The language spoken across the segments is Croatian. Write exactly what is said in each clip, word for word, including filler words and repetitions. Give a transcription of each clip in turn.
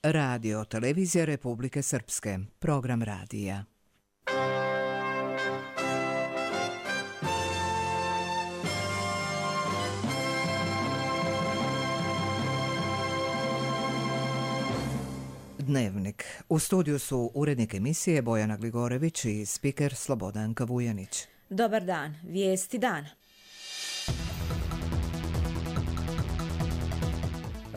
Radio Televizija Republike Srpske, program radija. Dnevnik. U studiju su urednik emisije Bojana Gligorević i spiker Slobodanka Vujanić. Dobar dan, vijesti dana.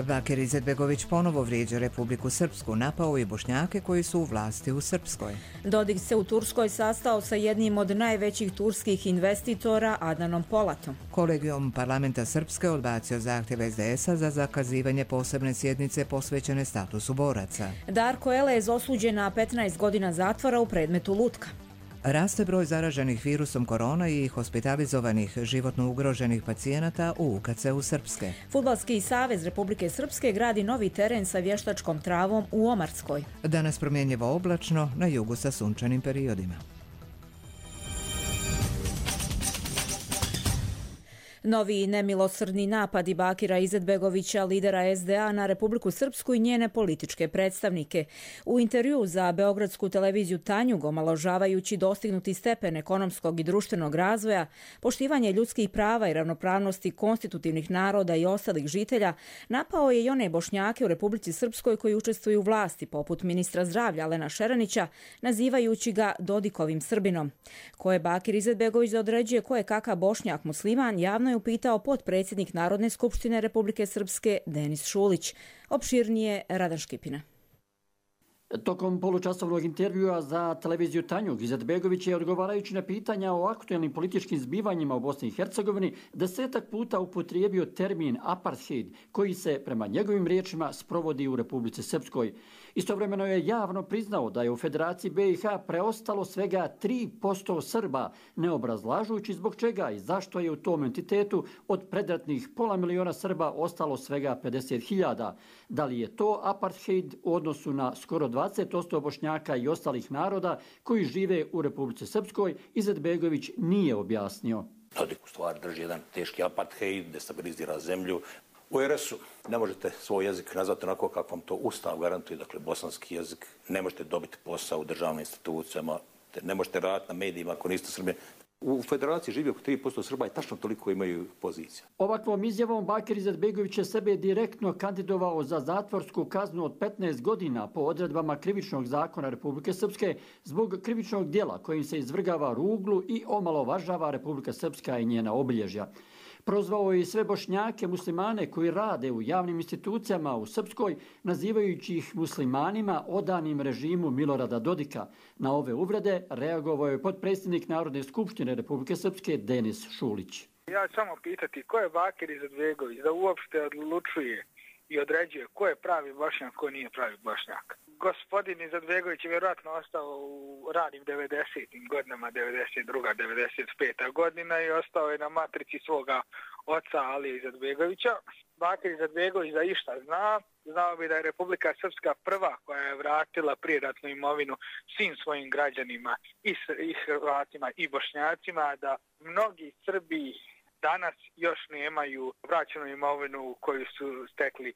Bakir Izetbegović ponovo vrijeđa Republiku Srpsku, napao i Bošnjake koji su u vlasti u Srpskoj. Dodik se u Turskoj sastao sa jednim od najvećih turskih investitora, Adnanom Polatom. Kolegijum parlamenta Srpske odbacio zahtjev es de es a za zakazivanje posebne sjednice posvećene statusu boraca. Darko Elez osuđen na petnaest godina zatvora u predmetu lutka. Raste broj zaraženih virusom korona i hospitalizovanih životno ugroženih pacijenata u U K C-u Srpske. Fudbalski savez Republike Srpske gradi novi teren sa vještačkom travom u Omarskoj. Danas promjenjivo oblačno, na jugu sa sunčanim periodima. Novi nemilosrdni napadi Bakira Izetbegovića, lidera es de a, na Republiku Srpsku i njene političke predstavnike. U intervju za beogradsku televiziju Tanjug, omalovažavajući dostignuti stepen ekonomskog i društvenog razvoja, poštivanje ljudskih prava i ravnopravnosti konstitutivnih naroda i ostalih žitelja, napao je i one Bošnjake u Republici Srpskoj koji učestvuju u vlasti, poput ministra zdravlja Alena Šeranića, nazivajući ga Dodikovim Srbinom. Ko je Bakir Izetbegović da određuje ko je kakav Bošnjak musliman, javno je upitao potpredsjednik Narodne skupštine Republike Srpske Denis Šulić. Opširnije Radan Škipina. Tokom polučasovnog intervjua za televiziju Tanjug, Izetbegović je, odgovarajući na pitanja o aktualnim političkim zbivanjima u Bosni i Hercegovini, desetak puta upotrijebio termin apartheid, koji se, prema njegovim riječima, sprovodi u Republici Srpskoj. Istovremeno je javno priznao da je u Federaciji be i ha preostalo svega tri posto Srba, ne obrazlažujući zbog čega i zašto je u tom entitetu od predratnih pola miliona Srba ostalo svega pedeset hiljada. Da li je to apartheid u odnosu na skoro dvadeset posto Bošnjaka i ostalih naroda koji žive u Republici Srpskoj, Izetbegović nije objasnio. Dodik u stvari drži jedan teški apartheid, destabilizira zemlju. U er es u ne možete svoj jezik nazvati onako kako vam to Ustav garantuje, dakle bosanski jezik, ne možete dobiti posao u državnim institucijama, ne možete raditi na medijima ako niste Srbi. U Federaciji živi oko tri posto Srba i tačno toliko imaju pozicija. Ovakvom izjavom Bakir Izetbegović je sebe direktno kandidovao za zatvorsku kaznu od petnaest godina po odredbama Krivičnog zakona Republike Srpske zbog krivičnog djela kojim se izvrgava ruglu i omalovažava Republika Srpska i njena obilježja. Prozvao je i sve Bošnjake muslimane koji rade u javnim institucijama u Srpskoj, nazivajući ih muslimanima odanim režimu Milorada Dodika. Na ove uvrede reagovao je potpredsjednik Narodne skupštine Republike Srpske Denis Šulić. Ja ću samo pitati ko je Bakir Izetbegović da uopšte odlučuje i određuje ko je pravi Bošnjak, ko nije pravi Bošnjak. Gospodin Izetbegović je vjerojatno ostao u ranim devedesetim godinama, devedeset druga devedeset peta godina i ostao je na matrici svoga oca Alije Izetbegovića. Bakir Izetbegović da išta zna, znao bi da je Republika Srpska prva koja je vratila prijeratnu imovinu svim svojim građanima i, i Hrvatima i Bošnjacima, da mnogi Srbi danas još nemaju vraćenu imovinu koju su stekli e,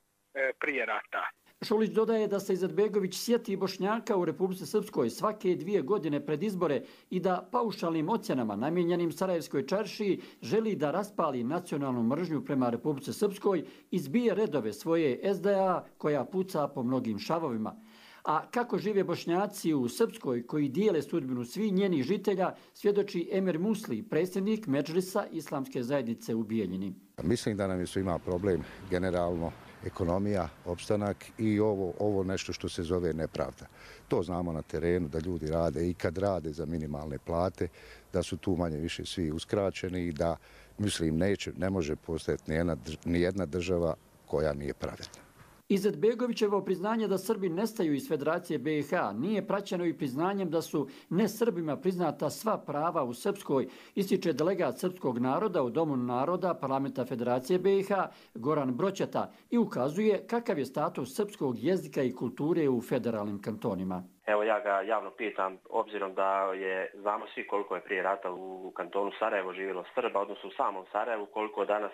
prije rata. Šulić dodaje da se Izetbegović sjeti Bošnjaka u Republici Srpskoj svake dvije godine pred izbore i da paušalnim ocjenama namijenjenim Sarajevskoj čaršiji želi da raspali nacionalnu mržnju prema Republici Srpskoj i zbije redove svoje es de a koja puca po mnogim šavovima. A kako žive Bošnjaci u Srpskoj koji dijele sudbinu svih njenih žitelja, svjedoči Emir Musli, predsjednik Medžlisa Islamske zajednice u Bijeljini. Mislim da nam je svima problem generalno ekonomija, opstanak i ovo, ovo nešto što se zove nepravda. To znamo na terenu da ljudi rade i kad rade za minimalne plate, da su tu manje više svi uskraćeni i da, mislim, neće, ne može postojati nijedna, nijedna država koja nije pravedna. Izetbegovićevo priznanje da Srbi nestaju iz Federacije be i ha nije praćeno i priznanjem da su ne Srbima priznata sva prava u Srpskoj, ističe delegat srpskog naroda u Domu naroda Parlamenta Federacije be i ha Goran Broćeta i ukazuje kakav je status srpskog jezika i kulture u federalnim kantonima. Evo ja ga javno pitam, obzirom da je, znamo svi koliko je prije rata u kantonu Sarajevo živjelo Srba, odnosno u samom Sarajevu, koliko danas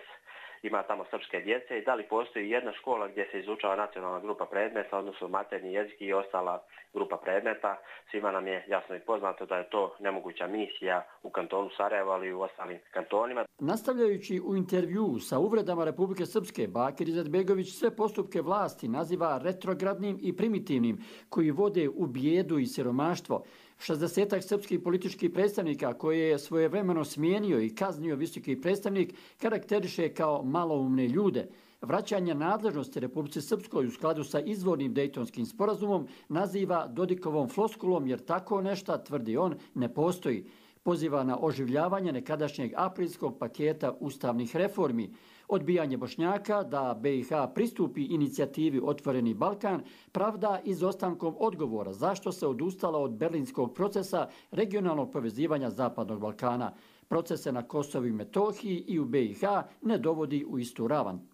ima tamo srpske djece i da li postoji jedna škola gdje se izučava nacionalna grupa predmeta, odnosno maternji jezik i ostala grupa predmeta. Svima nam je jasno i poznato da je to nemoguća misija u kantonu Sarajevo, ali i u ostalim kantonima. Nastavljajući u intervju sa uvredama Republike Srpske, Bakir Izetbegović sve postupke vlasti naziva retrogradnim i primitivnim, koji vode u bijedu i siromaštvo. šezdesetak srpskih političkih predstavnika koje je svojevremeno smijenio i kaznio visoki predstavnik karakteriše kao maloumne ljude. Vraćanje nadležnosti Republici Srpskoj u skladu sa izvornim Dejtonskim sporazumom naziva Dodikovom floskulom jer tako nešto, tvrdi on, ne postoji. Poziva na oživljavanje nekadašnjeg aprilskog paketa ustavnih reformi. Odbijanje Bošnjaka da be i ha pristupi inicijativi Otvoreni Balkan pravda izostankom odgovora zašto se odustala od berlinskog procesa regionalnog povezivanja Zapadnog Balkana. Procese na Kosovu i Metohiji i u be i ha ne dovodi u istu ravan.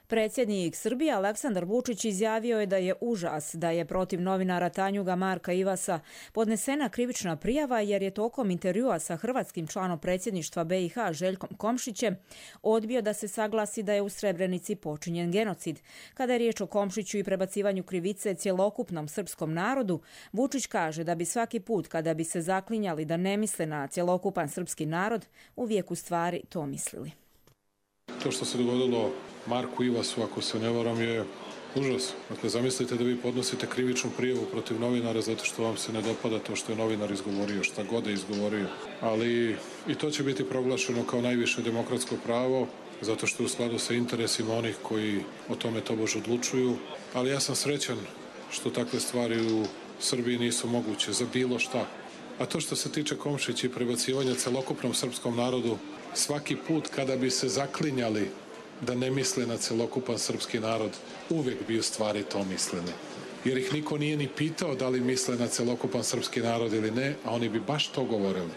Predsjednik Srbije Aleksandar Vučić izjavio je da je užas da je protiv novinara Tanjuga Marka Ivasa podnesena krivična prijava jer je tokom intervjua sa hrvatskim članom predsjedništva be i ha Željkom Komšićem odbio da se saglasi da je u Srebrenici počinjen genocid. Kada je riječ o Komšiću i prebacivanju krivice cjelokupnom srpskom narodu, Vučić kaže da bi svaki put kada bi se zaklinjali da ne misle na cjelokupan srpski narod, uvijek u stvari to mislili. To što se dogodilo Marku Ivasu, ako se ne varam, je užas. Dakle, zamislite da vi podnosite krivičnu prijavu protiv novinara zato što vam se ne dopada to što je novinar izgovorio, šta god je izgovorio. Ali i to će biti proglašeno kao najviše demokratsko pravo, zato što je u skladu sa interesima onih koji o tome tobož odlučuju. Ali ja sam srećan što takve stvari u Srbiji nisu moguće za bilo šta. A to što se tiče Komšića i prebacivanja celokupnom srpskom narodu, svaki put kada bi se zaklinjali da ne misle na celokupan srpski narod, uvijek bi u stvari to mislili. Jer ih niko nije ni pitao da li misle na celokupan srpski narod ili ne, a oni bi baš to govorili.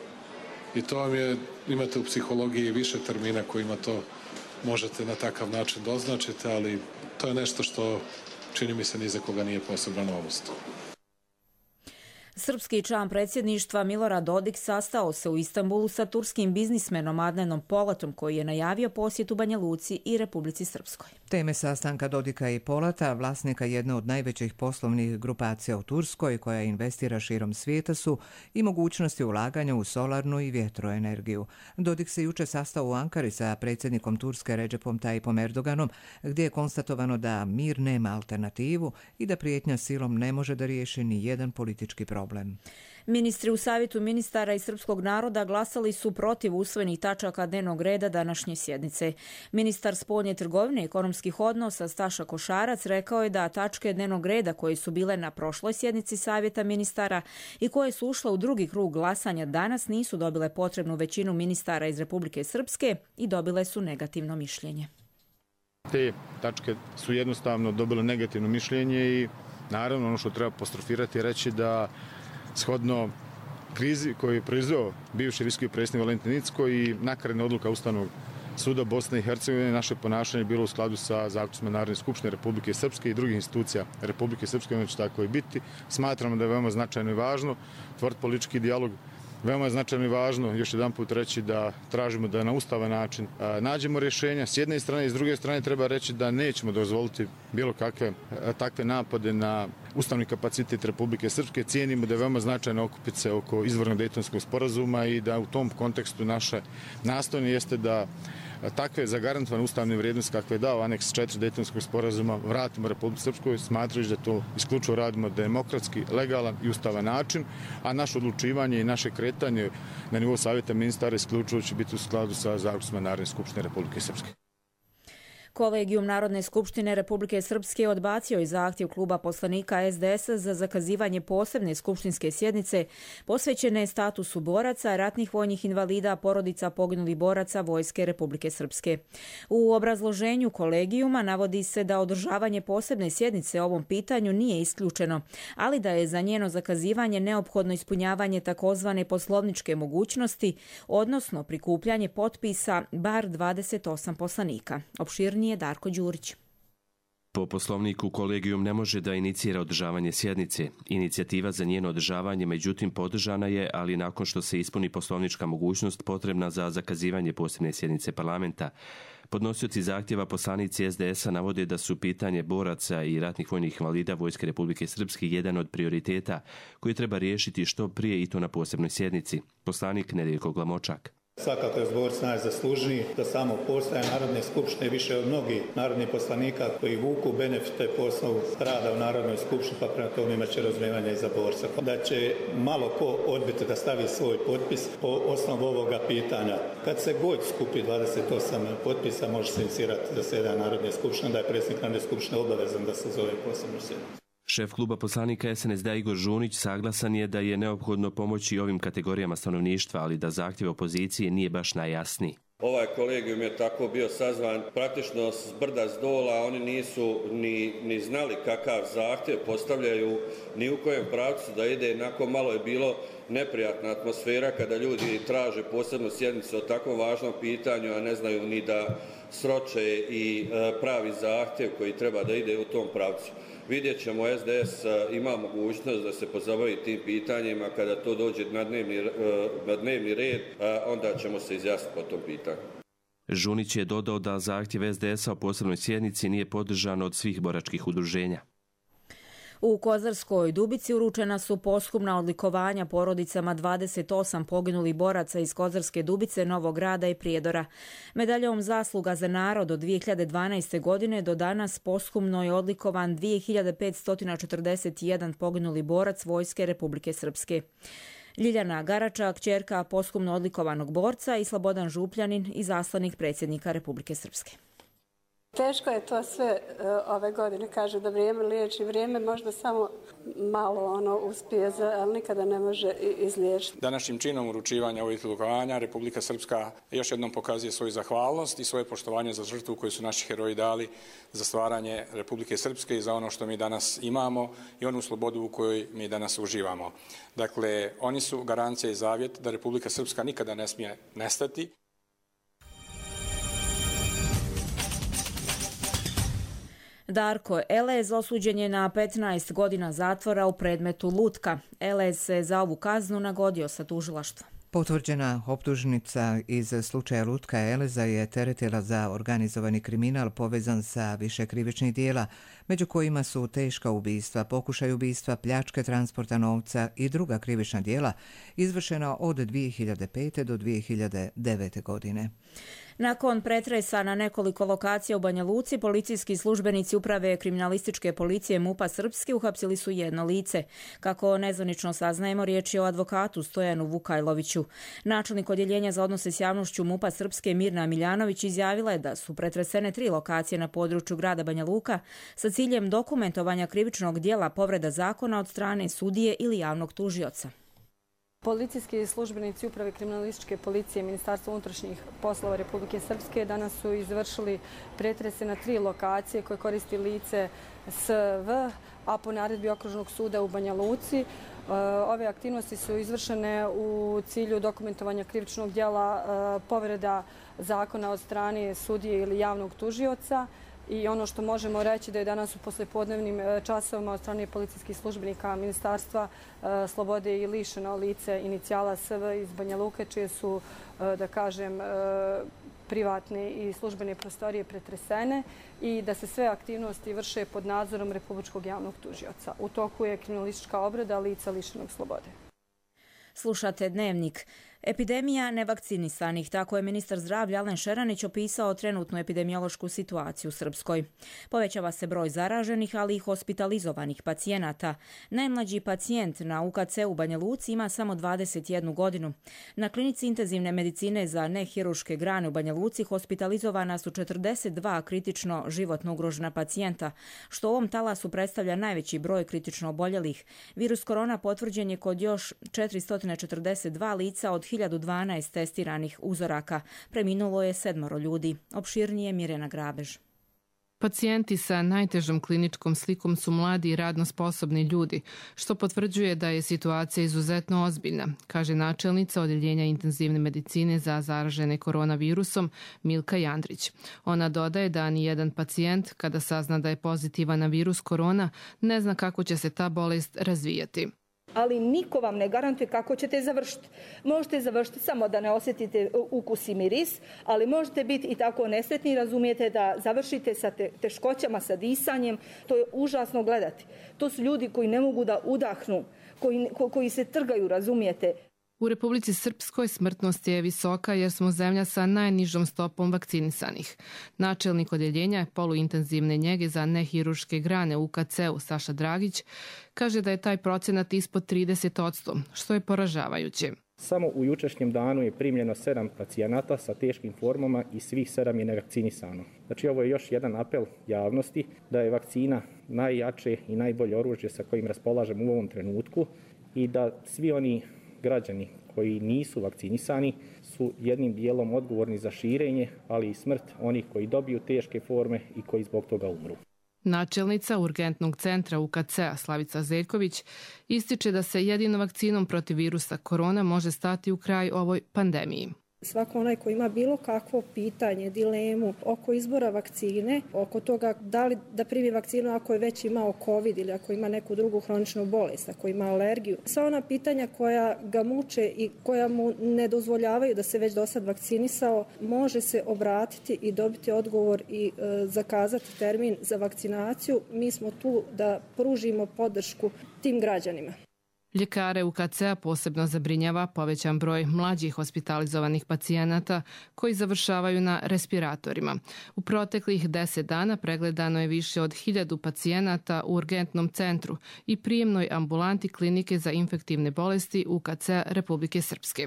I to vam je, imate u psihologiji više termina kojima to možete na takav način doznačiti, ali to je nešto što čini mi se ni za koga nije posebna novost. Srpski član predsjedništva Milorad Dodik sastao se u Istanbulu sa turskim biznismenom Adnanom Polatom koji je najavio posjetu Banja Luci i Republici Srpskoj. Teme sastanka Dodika i Polata, vlasnika jedne od najvećih poslovnih grupacija u Turskoj koja investira širom svijeta, su i mogućnosti ulaganja u solarnu i vjetroenergiju. Dodik se jučer sastao u Ankari sa predsjednikom Turske Recepom Tayyipom Erdoganom, gdje je konstatovano da mir nema alternativu i da prijetnja silom ne može da riješi ni jedan politički problem. Problem. Ministri u Savjetu ministara i srpskog naroda glasali su protiv usvojenih tačaka dnevnog reda današnje sjednice. Ministar spoljne trgovine i ekonomskih odnosa Staša Košarac rekao je da tačke dnevnog reda koje su bile na prošloj sjednici Savjeta ministara i koje su ušle u drugi krug glasanja danas nisu dobile potrebnu većinu ministara iz Republike Srpske i dobile su negativno mišljenje. Te tačke su jednostavno dobile negativno mišljenje i naravno ono što treba apostrofirati je reći da shodno krizi koju je proizveo bivši visoki predsjednik Valentin Incko i nakaradna odluka Ustavnog suda Bosne i Hercegovine, naše ponašanje je bilo u skladu sa zaključcima Narodne skupštine Republike Srpske i drugih institucija Republike Srpske, ono će tako i biti. Smatramo da je veoma značajno i važno otvoriti politički dijalog. Veoma je značajno i važno još jedan put reći da tražimo da na ustavan način a, nađemo rješenja. S jedne strane i s druge strane treba reći da nećemo dozvoliti bilo kakve a, takve napade na ustavni kapacitet Republike Srpske. Cijenimo da je veoma značajno okupiti se oko izvornog Dejtonskog sporazuma i da u tom kontekstu naše nastojanje jeste da takve zagarantovane ustavne vrijednosti kakve je dao aneks četiri Dejtonskog sporazuma vratimo Republici Srpskoj, smatrajući da to isključivo radimo demokratski, legalan i ustavan način, a naše odlučivanje i naše kretanje na nivou Savjeta ministara isključivo će biti u skladu sa zaključcima Narodne skupštine Republike Srpske. Kolegijum Narodne skupštine Republike Srpske odbacio je zahtjev kluba poslanika es de es a za zakazivanje posebne skupštinske sjednice posvećene statusu boraca, ratnih vojnih invalida, porodica poginulih boraca Vojske Republike Srpske. U obrazloženju kolegijuma navodi se da održavanje posebne sjednice o ovom pitanju nije isključeno, ali da je za njeno zakazivanje neophodno ispunjavanje takozvane poslovničke mogućnosti, odnosno prikupljanje potpisa bar dvadeset osam poslanika. Opširnije je Darko Đurić. Po poslovniku kolegijum ne može da inicira održavanje sjednice. Inicijativa za njeno održavanje međutim podržana je, ali nakon što se ispuni poslovnička mogućnost potrebna za zakazivanje posebne sjednice parlamenta. Podnosioci zahtjeva poslanici S D S-a navode da su pitanje boraca i ratnih vojnih invalida Vojske Republike Srpske jedan od prioriteta koji treba riješiti što prije i to na posebnoj sjednici. Poslanik Nedeljko Glamočak. Svakako je borac najzaslužniji za samo postojanje Narodne skupštine više od mnogih narodnih poslanika koji vuku benefite po osnovu rada u Narodnoj skupštini, pa prema tome imat će razumijevanja i za borca. Da će malo ko odbiti da stavi svoj potpis po osnovu ovoga pitanja. Kad se god skupi dvadeset osam potpisa može se inicirati zasjedanje Narodne skupštine, da je predsjednik Narodne skupštine obavezan da se zove posebnu sjednicu. Šef kluba poslanika S N S D Igor Žunić saglasan je da je neophodno pomoći ovim kategorijama stanovništva, ali da zahtjev opozicije nije baš najjasniji. Ovaj kolegijum je tako bio sazvan praktično s brda s dola, oni nisu ni, ni znali kakav zahtjev postavljaju, ni u kojem pravcu da ide, nakon malo je bilo neprijatna atmosfera kada ljudi traže posebnu sjednicu o takvom važnom pitanju, a ne znaju ni da sroče i pravi zahtjev koji treba da ide u tom pravcu. Vidjet ćemo, S D S ima mogućnost da se pozabavi tim pitanjima, kada to dođe na dnevni, na dnevni red, onda ćemo se izjasniti po tom pitanju. Žunić je dodao da zahtjev S D S-a o posebnoj sjednici nije podržan od svih boračkih udruženja. U Kozarskoj Dubici uručena su posthumna odlikovanja porodicama dvadeset osam poginulih boraca iz Kozarske Dubice, Novog Grada i Prijedora. Medaljom Zasluga za narod od dvije hiljade dvanaeste. godine do danas posthumno je odlikovan dvije hiljade petsto četrdeset jedan poginuli borac Vojske Republike Srpske. Ljiljana Garača, kćerka posthumno odlikovanog borca, i Slobodan Župljanin, izaslanik predsjednika Republike Srpske. Teško je to sve ove godine, kaže da vrijeme liječi. Vrijeme možda samo malo ono uspije, ali nikada ne može izliječiti. Današnjim činom uručivanja ovih odlikovanja Republika Srpska još jednom pokazuje svoju zahvalnost i svoje poštovanje za žrtvu koju su naši heroji dali za stvaranje Republike Srpske i za ono što mi danas imamo i onu slobodu u kojoj mi danas uživamo. Dakle, oni su garancija i zavjet da Republika Srpska nikada ne smije nestati. Darko Elez osuđen je na petnaest godina zatvora u predmetu Lutka. Elez se za ovu kaznu nagodio sa tužilaštva. Potvrđena optužnica iz slučaja Lutka Eleza je teretila za organizovani kriminal povezan sa više krivičnih dijela, među kojima su teška ubistva, pokušaj ubistva, pljačke transporta novca i druga krivična dijela, izvršena od dvije hiljade pete. do dvije hiljade devete. godine. Nakon pretresa na nekoliko lokacija u Banja Luci, policijski službenici uprave kriminalističke policije MUP-a Srpske uhapsili su jedno lice. Kako nezvanično saznajemo, riječ je o advokatu Stojanu Vukajloviću. Načelnik odjeljenja za odnose s javnošću MUP-a Srpske Mirna Miljanović izjavila je da su pretresene tri lokacije na području grada Banja Luka sa ciljem dokumentovanja krivičnog dijela povreda zakona od strane sudije ili javnog tužioca. Policijski službenici uprave kriminalističke policije Ministarstva unutrašnjih poslova Republike Srpske danas su izvršili pretrese na tri lokacije koje koristi lice S V, a po naredbi Okružnog suda u Banja Luci. Ove aktivnosti su izvršene u cilju dokumentovanja krivičnog dijela povreda zakona od strane sudije ili javnog tužioca. I ono što možemo reći da je danas u poslijepodnevnim časovima od strane policijskih službenika Ministarstva slobode i lišeno lice inicijala S V iz Banja Luke, čije su, da kažem, privatne i službene prostorije pretresene i da se sve aktivnosti vrše pod nadzorom Republičkog javnog tužioca. U toku je kriminalistička obrada lica lišenog slobode. Slušate Dnevnik. Epidemija nevakcinisanih, tako je ministar zdravlja Alen Šeranić opisao trenutnu epidemiološku situaciju u Srpskoj. Povećava se broj zaraženih, ali i hospitalizovanih pacijenata. Najmlađi pacijent na U K C u Banja Luci ima samo dvadeset jednu godinu. Na klinici intenzivne medicine za nehiruške grane u Banja Luci hospitalizovana su četrdeset dva kritično životno ugrožena pacijenta, što u ovom talasu predstavlja najveći broj kritično oboljelih. Virus korona potvrđen je kod još četiristo četrdeset dva lica od hiljadu dvanaest testiranih uzoraka. Preminulo je sedmoro ljudi. Opširnije Mirjana Grabež. Pacijenti sa najtežom kliničkom slikom su mladi i radno sposobni ljudi, što potvrđuje da je situacija izuzetno ozbiljna, kaže načelnica Odjeljenja intenzivne medicine za zaražene koronavirusom Milka Jandrić. Ona dodaje da ni jedan pacijent, kada sazna da je pozitivan na virus korona, ne zna kako će se ta bolest razvijati. Ali niko vam ne garantuje kako ćete završiti. Možete završiti samo da ne osjetite ukus i miris, ali možete biti i tako nesretni, razumijete, da završite sa te, teškoćama, sa disanjem. To je užasno gledati. To su ljudi koji ne mogu da udahnu, koji, koji se trgaju, razumijete. U Republici Srpskoj smrtnost je visoka jer smo zemlja sa najnižom stopom vakcinisanih. Načelnik odjeljenja je poluintenzivne njege za nehiruške grane u U K C-u Saša Dragić kaže da je taj procenat ispod trideset posto, što je poražavajuće. Samo u jučerašnjem danu je primljeno sedam pacijenata sa teškim formama i svih sedam je nevakcinisano. Znači ovo je još jedan apel javnosti da je vakcina najjače i najbolje oružje sa kojim raspolažemo u ovom trenutku i da svi oni građani koji nisu vakcinisani su jednim dijelom odgovorni za širenje, ali i smrt onih koji dobiju teške forme i koji zbog toga umru. Načelnica urgentnog centra U K C-a Slavica Zeljković ističe da se jedino vakcinom protiv virusa korona može stati u kraj ovoj pandemiji. Svako onaj koji ima bilo kakvo pitanje, dilemu oko izbora vakcine, oko toga da li da primi vakcinu ako je već imao COVID ili ako ima neku drugu hroničnu bolest, ako ima alergiju. Sva ona pitanja koja ga muče i koja mu ne dozvoljavaju da se već do sad vakcinisao, može se obratiti i dobiti odgovor i e, zakazati termin za vakcinaciju. Mi smo tu da pružimo podršku tim građanima. Ljekare U K C-a posebno zabrinjava povećan broj mlađih hospitalizovanih pacijenata koji završavaju na respiratorima. U proteklih deset dana pregledano je više od hiljadu pacijenata u urgentnom centru i prijemnoj ambulanti klinike za infektivne bolesti U K C-a Republike Srpske.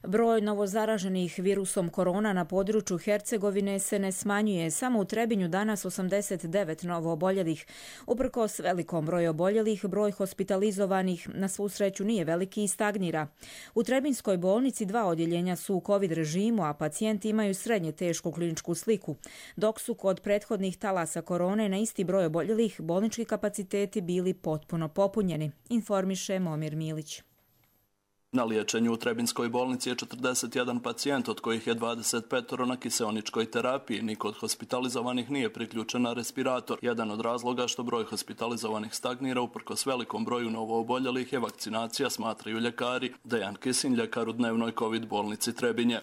Broj novozaraženih virusom korona na području Hercegovine se ne smanjuje. Samo u Trebinju danas osamdeset devet novo oboljelih. Uprkos velikom broju oboljelih, broj hospitalizovanih na svu sreću nije veliki i stagnira. U Trebinskoj bolnici dva odjeljenja su u COVID režimu, a pacijenti imaju srednje tešku kliničku sliku. Dok su kod prethodnih talasa korone na isti broj oboljelih bolnički kapaciteti bili potpuno popunjeni, informiše Momir Milić. Na liječenju u Trebinskoj bolnici je četrdeset jedan pacijent, od kojih je dvadeset pet na kiseoničkoj terapiji. Niko od hospitalizovanih nije priključen na respirator. Jedan od razloga što broj hospitalizovanih stagnira uprkos velikom broju novooboljelih je vakcinacija, smatraju ljekari. Dejan Kisin, ljekar u dnevnoj COVID bolnici Trebinje.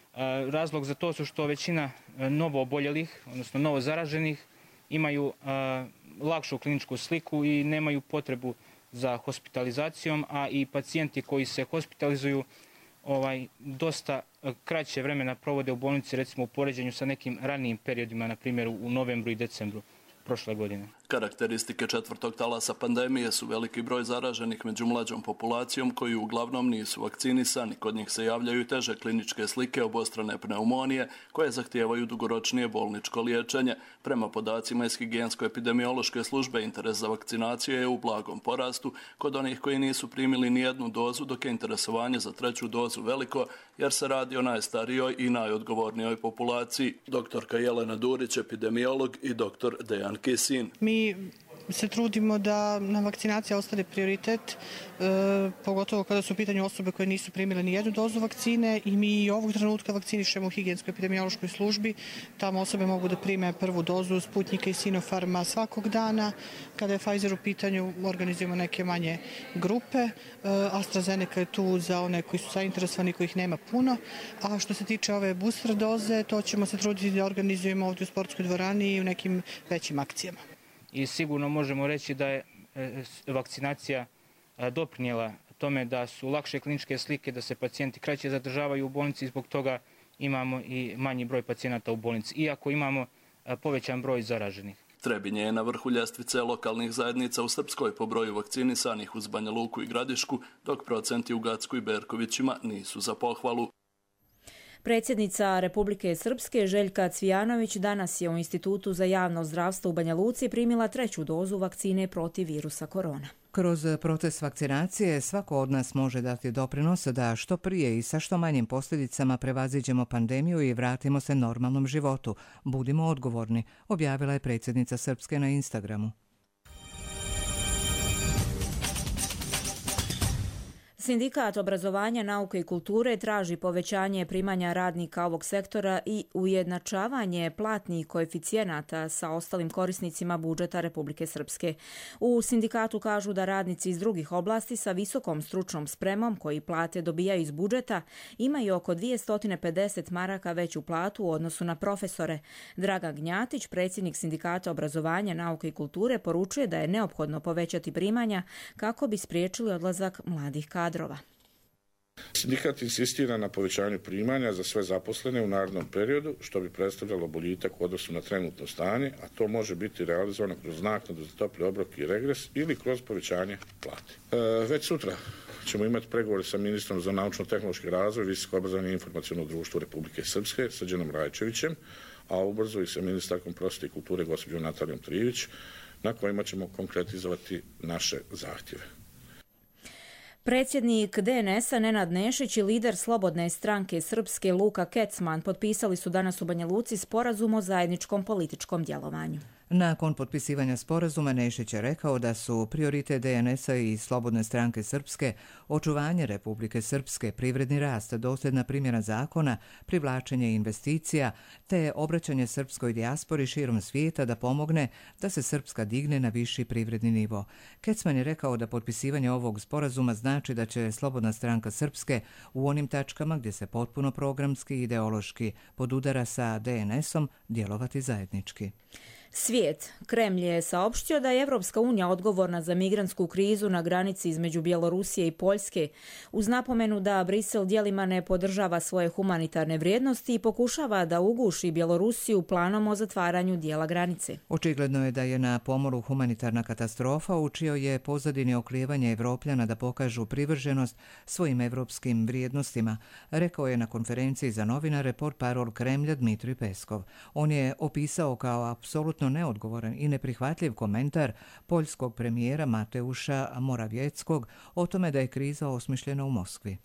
Razlog za to su što većina novooboljelih, odnosno novozaraženih, imaju lakšu kliničku sliku i nemaju potrebu za hospitalizacijom, a i pacijenti koji se hospitalizuju ovaj, dosta kraće vremena provode u bolnici, recimo u poređenju sa nekim ranijim periodima, na primjer u novembru i decembru prošle godine. Karakteristike četvrtog talasa pandemije su veliki broj zaraženih među mlađom populacijom koji uglavnom nisu vakcinisani. Kod njih se javljaju teže kliničke slike obostrane pneumonije koje zahtijevaju dugoročnije bolničko liječenje. Prema podacima iz higijensko-epidemiološke službe interes za vakcinaciju je u blagom porastu kod onih koji nisu primili ni jednu dozu, dok je interesovanje za treću dozu veliko jer se radi o najstarijoj i najodgovornijoj populaciji. Doktorka Jelena Durić, epidemiolog, i doktor Dejan Kisin. Mi se trudimo da nam vakcinacija ostane prioritet, e, pogotovo kada su u pitanju osobe koje nisu primile ni jednu dozu vakcine, i mi i ovog trenutka vakcinišemo u higijensko-epidemiološkoj službi. Tamo osobe mogu da prime prvu dozu Sputnika i Sinopharma svakog dana. Kada je Pfizer u pitanju, organizujemo neke manje grupe. E, AstraZeneca je tu za one koji su zainteresovani, kojih nema puno. A što se tiče ove booster doze, to ćemo se truditi da organizujemo ovdje u sportskoj dvorani i u nekim većim akcijama. I sigurno možemo reći da je vakcinacija doprinijela tome da su lakše kliničke slike, da se pacijenti kraće zadržavaju u bolnici i zbog toga imamo i manji broj pacijenata u bolnici, iako imamo povećan broj zaraženih. Trebinje je na vrhu ljestvice lokalnih zajednica u Srpskoj po broju vakcinisanih uz Banja Luku i Gradišku, dok procenti u Gacku i Berkovićima nisu za pohvalu. Predsjednica Republike Srpske Željka Cvijanović danas je u Institutu za javno zdravstvo u Banja Luci primila treću dozu vakcine protiv virusa korona. Kroz proces vakcinacije svako od nas može dati doprinos da što prije i sa što manjim posljedicama prevaziđemo pandemiju i vratimo se normalnom životu. Budimo odgovorni, objavila je predsjednica Srpske na Instagramu. Sindikat obrazovanja, nauke i kulture traži povećanje primanja radnika ovog sektora i ujednačavanje platnih koeficijenata sa ostalim korisnicima budžeta Republike Srpske. U sindikatu kažu da radnici iz drugih oblasti sa visokom stručnom spremom koji plate dobijaju iz budžeta imaju oko dvjesto pedeset maraka veću platu u odnosu na profesore. Dragan Gnjatić, predsjednik Sindikata obrazovanja, nauke i kulture, poručuje da je neophodno povećati primanja kako bi spriječili odlazak mladih kadrova. Sindikat insistira na povećanju primanja za sve zaposlene u narednom periodu, što bi predstavljalo boljitak u odnosu na trenutno stanje, a to može biti realizovano kroz naknadu za topli obrok i regres ili kroz povećanje plate. E, već sutra ćemo imati pregovore sa ministrom za naučno-tehnološki razvoj, visoko obrazovanje i informaciono društvo Republike Srpske, Srđanom Rajčevićem, a ubrzo i sa ministarkom prosvjete i kulture gospođom Natalijom Trivić, na kojima ćemo konkretizovati naše zahtjeve. Predsjednik D N S-a Nenad Nešić i lider Slobodne stranke Srpske Luka Kecman potpisali su danas u Banja Luci sporazum o zajedničkom političkom djelovanju. Nakon potpisivanja sporazuma Nešić je rekao da su prioritet D N S-a i Slobodne stranke Srpske očuvanje Republike Srpske, privredni rast, dosljedna primjena zakona, privlačenje investicija te obraćanje srpskoj dijaspori širom svijeta da pomogne da se Srpska digne na viši privredni nivo. Kecman je rekao da potpisivanje ovog sporazuma znači da će Slobodna stranka Srpske u onim tačkama gdje se potpuno programski i ideološki podudara sa D N S-om djelovati zajednički. Svijet. Kremlj je saopštio da je Evropska unija odgovorna za migrantsku krizu na granici između Bjelorusije i Poljske, uz napomenu da Brisel djelima ne podržava svoje humanitarne vrijednosti i pokušava da uguši Bjelorusiju planom o zatvaranju dijela granice. Očigledno je da je na pomoru humanitarna katastrofa u čijoj je pozadini oklijevanje Evropljana da pokažu privrženost svojim evropskim vrijednostima, rekao je na konferenciji za novinare portparol Kremlja Dmitrij Peskov. On je opisao kao apsolutno neodgovoran i neprihvatljiv komentar poljskog premijera Mateuša Moravjeckog o tome da je kriza osmišljena u Moskvi.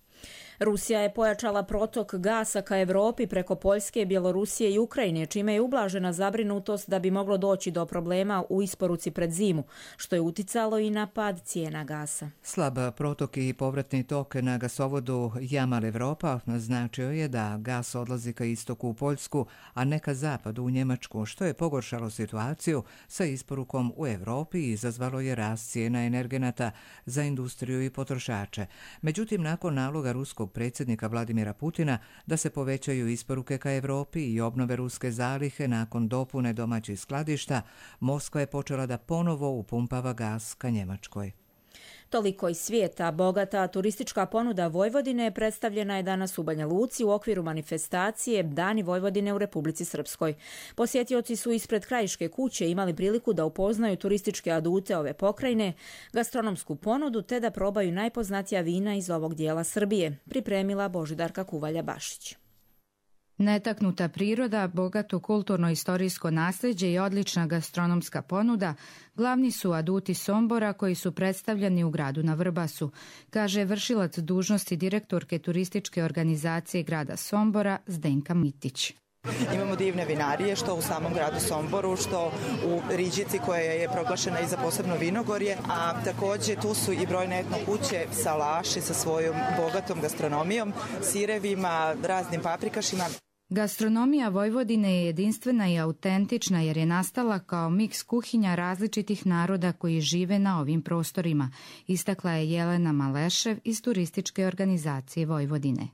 Rusija je pojačala protok gasa ka Evropi preko Poljske, Bjelorusije i Ukrajine, čime je ublažena zabrinutost da bi moglo doći do problema u isporuci pred zimu, što je uticalo i na pad cijena gasa. Slab protok i povratni tok na gasovodu Jamal Evropa značio je da gas odlazi ka istoku u Poljsku, a ne ka zapadu u Njemačku, što je pogoršalo situaciju sa isporukom u Evropi i izazvalo je rast cijena energenata za industriju i potrošače. Međutim, nakon naloga ruskog predsjednika Vladimira Putina da se povećaju isporuke ka Evropi i obnove ruske zalihe nakon dopune domaćih skladišta, Moskva je počela da ponovo upumpava gas ka Njemačkoj. Toliko iz svijeta. Bogata turistička ponuda Vojvodine predstavljena je danas u Banja Luci u okviru manifestacije Dani Vojvodine u Republici Srpskoj. Posjetioci su ispred Krajiške kuće imali priliku da upoznaju turističke adute ove pokrajine, gastronomsku ponudu te da probaju najpoznatija vina iz ovog dijela Srbije, pripremila Božidarka Kuvalja-Bašić. Netaknuta priroda, bogato kulturno-istorijsko nasljeđe i odlična gastronomska ponuda glavni su aduti Sombora koji su predstavljeni u gradu na Vrbasu, kaže vršilac dužnosti direktorke turističke organizacije grada Sombora Zdenka Mitić. Imamo divne vinarije što u samom gradu Somboru, što u Riđici koja je proglašena i za posebno vinogorje, a također tu su i brojne etno kuće, salaši sa svojom bogatom gastronomijom, sirevima, raznim paprikašima. Gastronomija Vojvodine je jedinstvena i autentična jer je nastala kao miks kuhinja različitih naroda koji žive na ovim prostorima, istakla je Jelena Malešev iz turističke organizacije Vojvodine.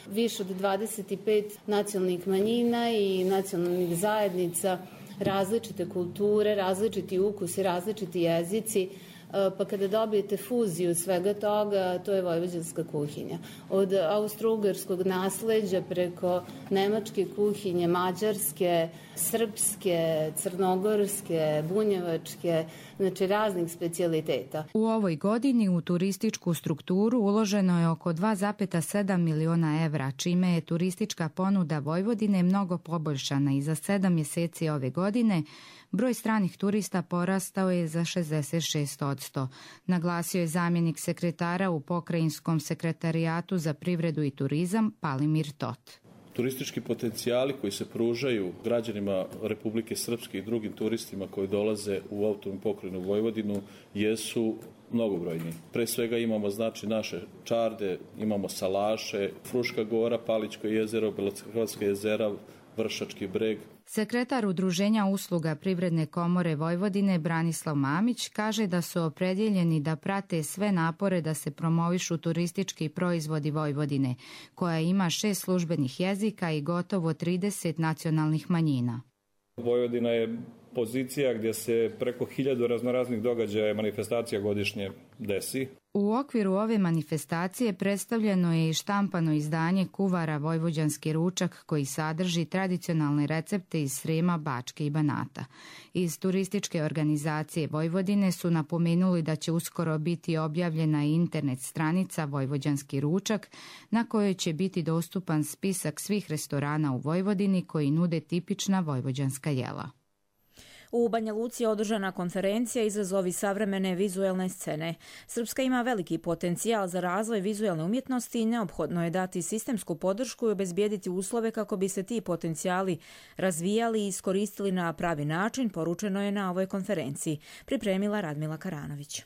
Više od dvadeset pet nacionalnih manjina i nacionalnih zajednica, različite kulture, različiti ukusi, različiti jezici, pa kada dobijete fuziju svega toga, to je vojvođanska kuhinja. Od austro-ugarskog nasleđa preko nemačke kuhinje, mađarske, srpske, crnogorske, bunjevačke, znači raznih specijaliteta. U ovoj godini u turističku strukturu uloženo je oko dva zarez sedam miliona evra, čime je turistička ponuda Vojvodine mnogo poboljšana i za sedam mjeseci ove godine broj stranih turista porastao je za šezdeset šest posto. Naglasio je zamjenik sekretara u Pokrajinskom sekretarijatu za privredu i turizam Palimir Tot. Turistički potencijali koji se pružaju građanima Republike Srpske i drugim turistima koji dolaze u autonomnu pokrajinu Vojvodinu jesu mnogobrojni. Pre svega imamo znači naše čarde, imamo Salaše, Fruška gora, Palićko jezero, Belohrvatska jezera, Vršački breg. Sekretar Udruženja usluga Privredne komore Vojvodine Branislav Mamić kaže da su opredjeljeni da prate sve napore da se promovišu turistički proizvodi Vojvodine, koja ima šest službenih jezika i gotovo trideset nacionalnih manjina. Vojvodina je pozicija gdje se preko hiljadu raznoraznih događaja i manifestacija godišnje desi. U okviru ove manifestacije predstavljeno je i štampano izdanje kuvara Vojvođanski ručak koji sadrži tradicionalne recepte iz Srema, Bačke i Banata. Iz turističke organizacije Vojvodine su napomenuli da će uskoro biti objavljena internet stranica Vojvođanski ručak na kojoj će biti dostupan spisak svih restorana u Vojvodini koji nude tipična vojvođanska jela. U Banja Luci je održana konferencija Izazovi savremene vizuelne scene. Srpska ima veliki potencijal za razvoj vizuelne umjetnosti i neophodno je dati sistemsku podršku i obezbijediti uslove kako bi se ti potencijali razvijali i iskoristili na pravi način, poručeno je na ovoj konferenciji, pripremila Radmila Karanović.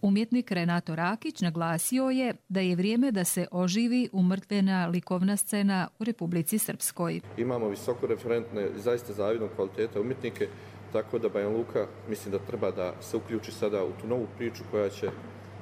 Umjetnik Renato Rakić naglasio je da je vrijeme da se oživi umrtvena likovna scena u Republici Srpskoj. Imamo visoko referentne, zaista zavidnog kvaliteta umjetnike, tako da Banja Luka mislim da treba da se uključi sada u tu novu priču koja će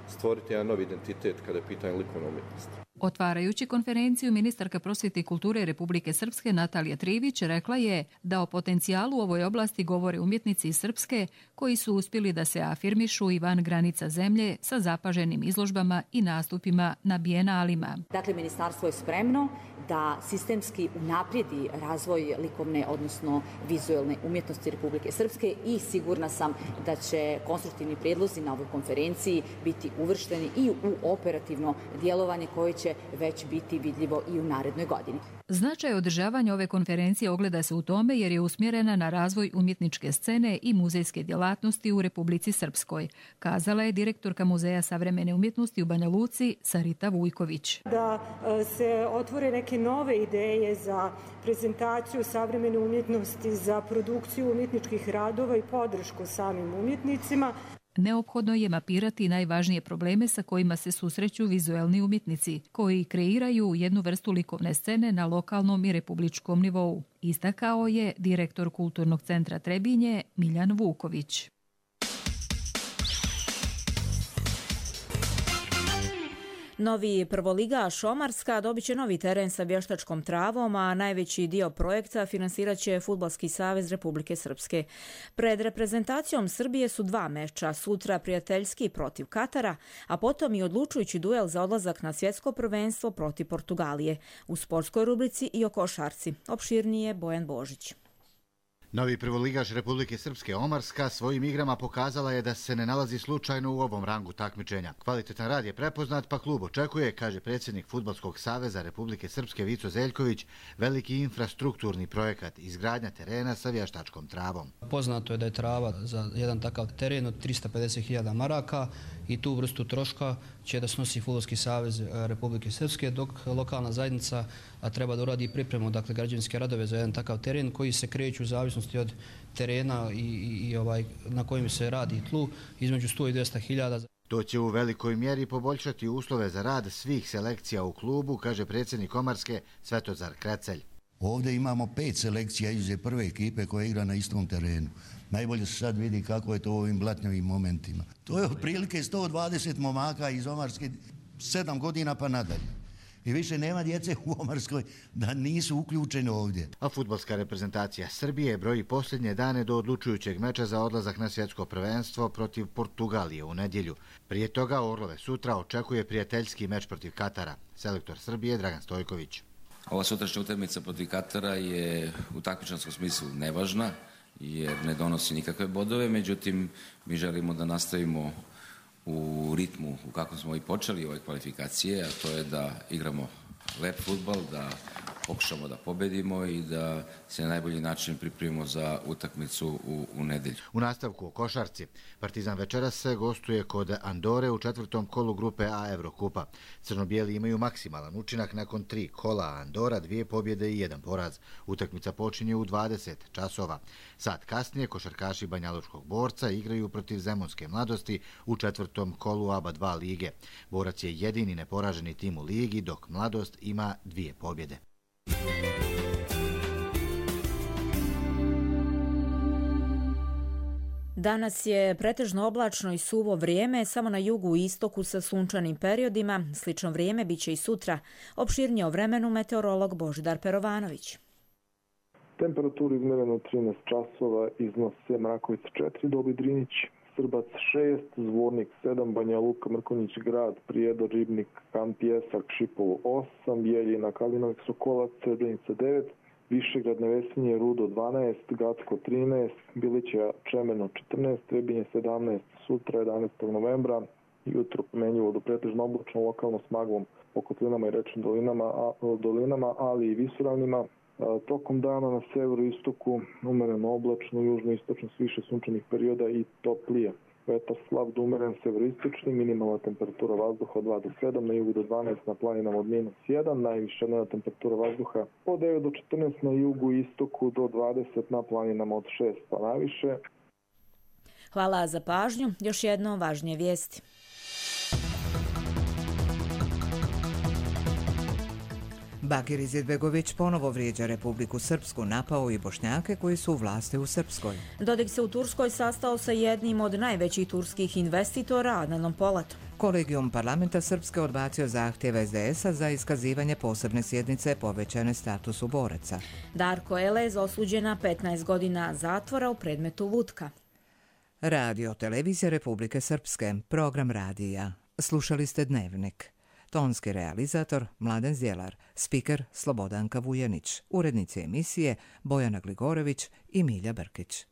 stvoriti jedan novi identitet kada je pitanje likovna umjetnost. Otvarajući konferenciju, ministarka prosvjete i kulture Republike Srpske Natalija Trivić rekla je da o potencijalu u ovoj oblasti govore umjetnici iz Srpske koji su uspjeli da se afirmišu i van granica zemlje sa zapaženim izložbama i nastupima na bijenalima. Dakle, ministarstvo je spremno da sistemski unaprijedi razvoj likovne, odnosno vizuelne umjetnosti Republike Srpske i sigurna sam da će konstruktivni prijedlozi na ovoj konferenciji biti uvršteni i u operativno djelovanje koje će već biti vidljivo i u narednoj godini. Značaj održavanja ove konferencije ogleda se u tome jer je usmjerena na razvoj umjetničke scene i muzejske djelatnosti u Republici Srpskoj, kazala je direktorka Muzeja savremene umjetnosti u Banja Luci Sarita Vujković. Da se otvore neke nove ideje za prezentaciju savremene umjetnosti, za produkciju umjetničkih radova i podršku samim umjetnicima. Neophodno je mapirati najvažnije probleme sa kojima se susreću vizuelni umjetnici, koji kreiraju jednu vrstu likovne scene na lokalnom i republičkom nivou, istakao je direktor Kulturnog centra Trebinje Miljan Vuković. Novi prvoligaš Omarska dobit će novi teren sa vještačkom travom, a najveći dio projekta finansirat će Fudbalski savez Republike Srpske. Pred reprezentacijom Srbije su dva meča, sutra prijateljski protiv Katara, a potom i odlučujući duel za odlazak na svjetsko prvenstvo protiv Portugalije. U sportskoj rubrici i o košarci. Opširnije Bojan Božić. Novi prvoligaš Republike Srpske Omarska svojim igrama pokazala je da se ne nalazi slučajno u ovom rangu takmičenja. Kvalitetan rad je prepoznat, pa klub očekuje, kaže predsjednik Fudbalskog saveza Republike Srpske Vico Zeljković, veliki infrastrukturni projekat izgradnja terena sa vještačkom travom. Poznato je da je trava za jedan takav teren od trista pedeset hiljada maraka i tu vrstu troška će da snosi Fudbalski savez Republike Srpske, dok lokalna zajednica treba da uradi pripremu, dakle građevinske radove za jedan takav teren koji se kreću u zavisnosti od terena i, i, i ovaj, na kojim se radi tlu između sto i dvjesto hiljada. To će u velikoj mjeri poboljšati uslove za rad svih selekcija u klubu, kaže predsjednik Omarske Svetozar Krecelj. Ovdje imamo pet selekcija izuzev prve ekipe koja igra na istom terenu. Najbolje se sad vidi kako je to u ovim blatnjavim momentima. To je otprilike sto dvadeset momaka iz Omarske, sedam godina pa nadalje. I više nema djece u Omarskoj da nisu uključeni ovdje. A fudbalska reprezentacija Srbije broji posljednje dane do odlučujućeg meča za odlazak na svjetsko prvenstvo protiv Portugalije u nedjelju. Prije toga Orlove sutra očekuje prijateljski meč protiv Katara. Selektor Srbije Dragan Stojković. Ova sutrašnja utakmica protiv Katara je u takmičarskom smislu nevažna jer ne donosi nikakve bodove, međutim mi želimo da nastavimo u ritmu u kakvom smo i počeli ove kvalifikacije, a to je da igramo lep fudbal, da pokušamo da pobedimo i da se na najbolji način pripremimo za utakmicu u, u nedelju. U nastavku o košarci, Partizan večeras se gostuje kod Andore u četvrtom kolu grupe A Evrokupa. Crno-bijeli imaju maksimalan učinak nakon tri kola, a Andora dvije pobjede i jedan poraz. Utakmica počinje u dvadeset časova. Sat kasnije košarkaši Banjalučkog Borca igraju protiv Zemunske mladosti u četvrtom kolu A B A dva lige. Borac je jedini neporaženi tim u ligi, dok Mladost ima dvije pobjede. Danas je pretežno oblačno i suvo vrijeme, samo na jugu i istoku sa sunčanim periodima. Slično vrijeme biće i sutra. Opširnije o vremenu meteorolog Božidar Perovanović. Temperaturu izmereno trinaest časova, iznose Mrakovica četiri, Dobi Drinić, Srbac šest, Zvornik sedam, Banja Luka, Mrkonjić grad, Prijedor, Ribnik, Kan Pjesak, Šipovo osam, Bijeljina, Kalinović, Sokolac, Srebrenica devet, Višegrad, Nevesinje, Rudo dvanaest, Gacko trinaest, Bilića, Čemeno četrnaest, Trebinje sedamnaest, sutra jedanaestog novembra, jutro pomenjivo do pretežno oblačno, lokalno s maglom po kotlinama i rečnim dolinama, a, dolinama, ali i visoravnima. Tokom dana na severu i istoku umereno oblačno, južno istočno s više sunčanih perioda i toplije. Vetar slab do umeren severistični, minimalna temperatura vazduha od dva do sedam, na jugu do dvanaest, na planinama od minus jedan, najviša dnevna temperatura vazduha od devet do četrnaest, na jugu i istoku do dvadeset, na planinama od šest pa naviše. Hvala za pažnju. Još jedno važnije vijesti. Bakir Izetbegović ponovo vrijeđa Republiku Srpsku, napao i Bošnjake koji su u vlasti u Srpskoj. Dodik se u Turskoj sastao sa jednim od najvećih turskih investitora, Adnanom Polatom. Kolegijum parlamenta Srpske odbacio zahtjev es de es a za iskazivanje posebne sjednice povećane statusu boraca. Darko Elez osuđen na petnaest godina zatvora u predmetu Vutka. Radio Televizija Republike Srpske, program radija. Slušali ste Dnevnik. Tonski realizator Mladen Zjelar, spiker Slobodanka Vujanić, urednici emisije Bojana Gligorević i Milja Brkić.